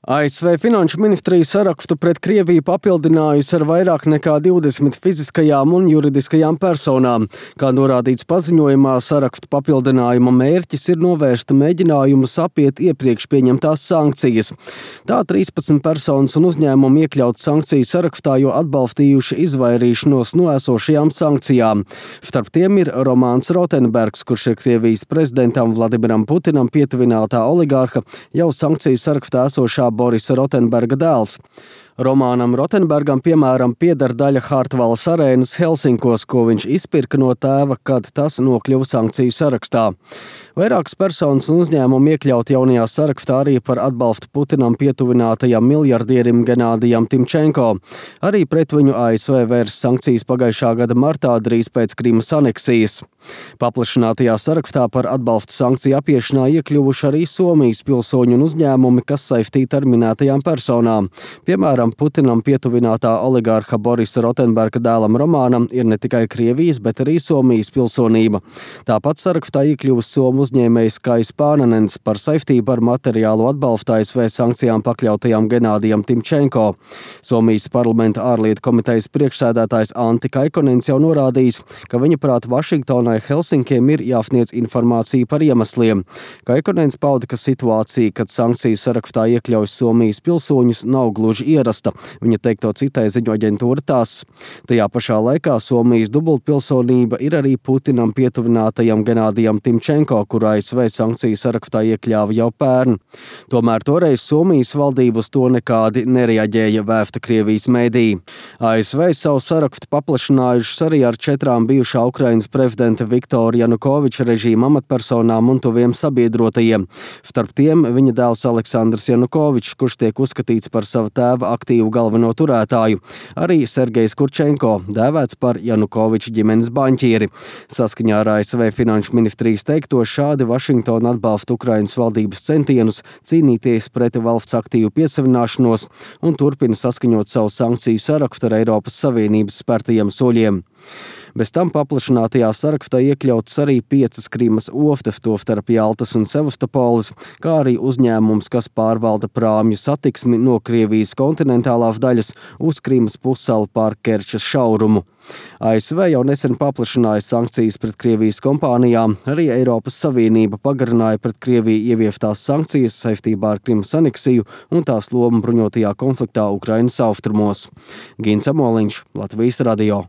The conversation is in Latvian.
ASV Finanšu ministrija sarakstu pret Krieviju papildinājusi ar vairāk nekā 20 fiziskajām un juridiskajām personām. Kā norādīts paziņojumā, sarakstu papildinājuma mērķis ir novērst mēģinājumus apiet iepriekš pieņemtās sankcijas. Tā 13 personas un uzņēmumi iekļaut sankciju sarakstā, jo atbalstījuši izvairīšanos no esošajām sankcijām. Starp tiem ir Romāns Rotenbergs, kurš ir Krievijas prezidentam Vladimiram Putinam pietuvinātā oligārha, jau sankciju sarakstā esošā Borisa Rotenberga dēls. Romānam Rotenbergam, piemēram, pieder daļa Hartvalas arēnas Helsinkos, ko viņš izpirka no tēva, kad tas nokļuva sankciju sarakstā. Vairākas personas un uzņēmumi iekļaut jaunajā sarakstā arī par atbalstu Putinam pietuvinātajam miljardierim Genādijam Timčenko. Arī pret viņu ASV vērs sankcijas pagājušā gada martā, drīz pēc Krimas aneksijas. Paplašinātajā sarakstā par atbalstu sankciju apiešanā iekļuvuši arī Somijas pilsoņu un uzņēmumi, kas saistīti ar minētajām personām. Piemēram, Putinam pietuvinātā oligārha Borisa Rotenberga dēlam Romānam ir ne tikai Krievijas, bet arī Somijas pilsonība. Tāpat sarakstā iekļuvis somu uzņēmējs Kais Pānenens par saistību ar materiālu atbalstu ASV sankcijām pakļautajam Genādijam Timčenko. Somijas parlamenta ārlietu komitejas priekšsēdētājs Antti Kaikonens jau norādījis, ka viņa prāt Vašingtonai Helsinkiem ir jāsniedz informācija par iemesliem. Kaikonens pauda, ka situācija, kad sankciju sarakstā iekļauj Somijas pilsoņus, nav gluži ierasta. Viņa teikto citēja ziņu aģentūra TASS. Tajā pašā laikā Somijas dubultpilsonība ir arī Putinam pietuvinātajam Genādijam Timčenko, kuru ASV sankciju sarakstā iekļāva jau pērn. Tomēr toreiz Somijas valdība uz to nekādi nereaģēja, vēsta Krievijas mēdīji. ASV savu sarakstu paplašinājušas arī ar 4 bijušā Ukrainas prezidenta Viktora Janukoviča režīma amatpersonām un tuviem sabiedrotajiem. Starp tiem viņa dēls Aleksandrs Janukovičs, kurš tiek uzskatīts par sava tēva aktīvu galveno turētāju, arī Sergejs Kurčenko, dēvēts par Janukoviča ģimenes baņķieri. Saskaņā ar ASV Finanšu ministrijas teikto, šādi Vašingtona atbalsta Ukrainas valdības centienus cīnīties pret valsts aktīvu piesavināšanos un turpina saskaņot savu sankciju sarakstu ar Eiropas Savienības spērtajiem soļiem. Bez tam paplašinātajā sarakstā iekļautas arī 5 Krimas ostas, tostarp Jaltas un Sevastopoles, kā arī uzņēmums, kas pārvalda prāmju satiksmi no Krievijas kontinentālās daļas uz Krimas pussalu pār Kerčas šaurumu. ASV jau nesen paplašināja sankcijas pret Krievijas kompānijām, arī Eiropas Savienība pagarināja pret Krieviju ieviestās sankcijas saistībā ar Krimas aneksiju un tās lomu bruņotajā konfliktā Ukrainas austrumos. Gins Amoliņš, Latvijas radio.